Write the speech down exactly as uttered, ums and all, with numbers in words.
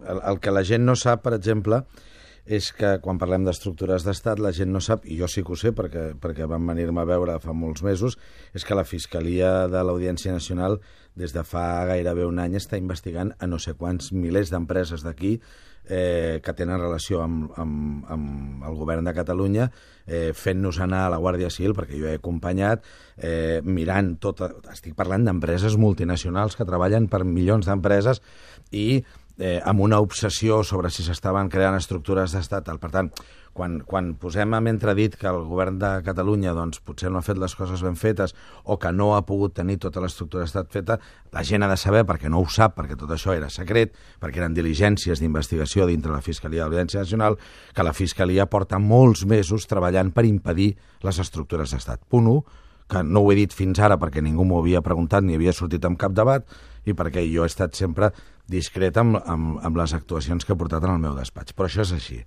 El, el que la gent no sap, per exemple, és que quan parlem d'estructures d'estat, la gent no sap, i jo sí que ho sé perquè, perquè van venir-me a veure fa molts mesos, és que la Fiscalia de l'Audiència Nacional des de fa gairebé un any està investigant a no sé quants milers d'empreses d'aquí eh, que tenen relació amb, amb, amb el govern de Catalunya, eh, fent-nos anar a la Guàrdia Civil, perquè jo he acompanyat, eh, mirant tot... Estic parlant d'empreses multinacionals que treballen per milions d'empreses i Eh, amb una obsessió sobre si s'estaven creant estructures d'estat. Per tant, quan, quan posem en entredit que el govern de Catalunya doncs, potser no ha fet les coses ben fetes o que no ha pogut tenir tota l'estructura d'estat feta, la gent ha de saber, perquè no ho sap, perquè tot això era secret, perquè eren diligències d'investigació dintre la Fiscalia de l'Audiència Nacional, que la Fiscalia porta molts mesos treballant per impedir les estructures d'estat. Punt u, que no ho he dit fins ara perquè ningú m'ho havia preguntat ni havia sortit en cap debat i perquè jo he estat sempre discret amb, amb, amb les actuacions que he portat en el meu despatx. Però això és així.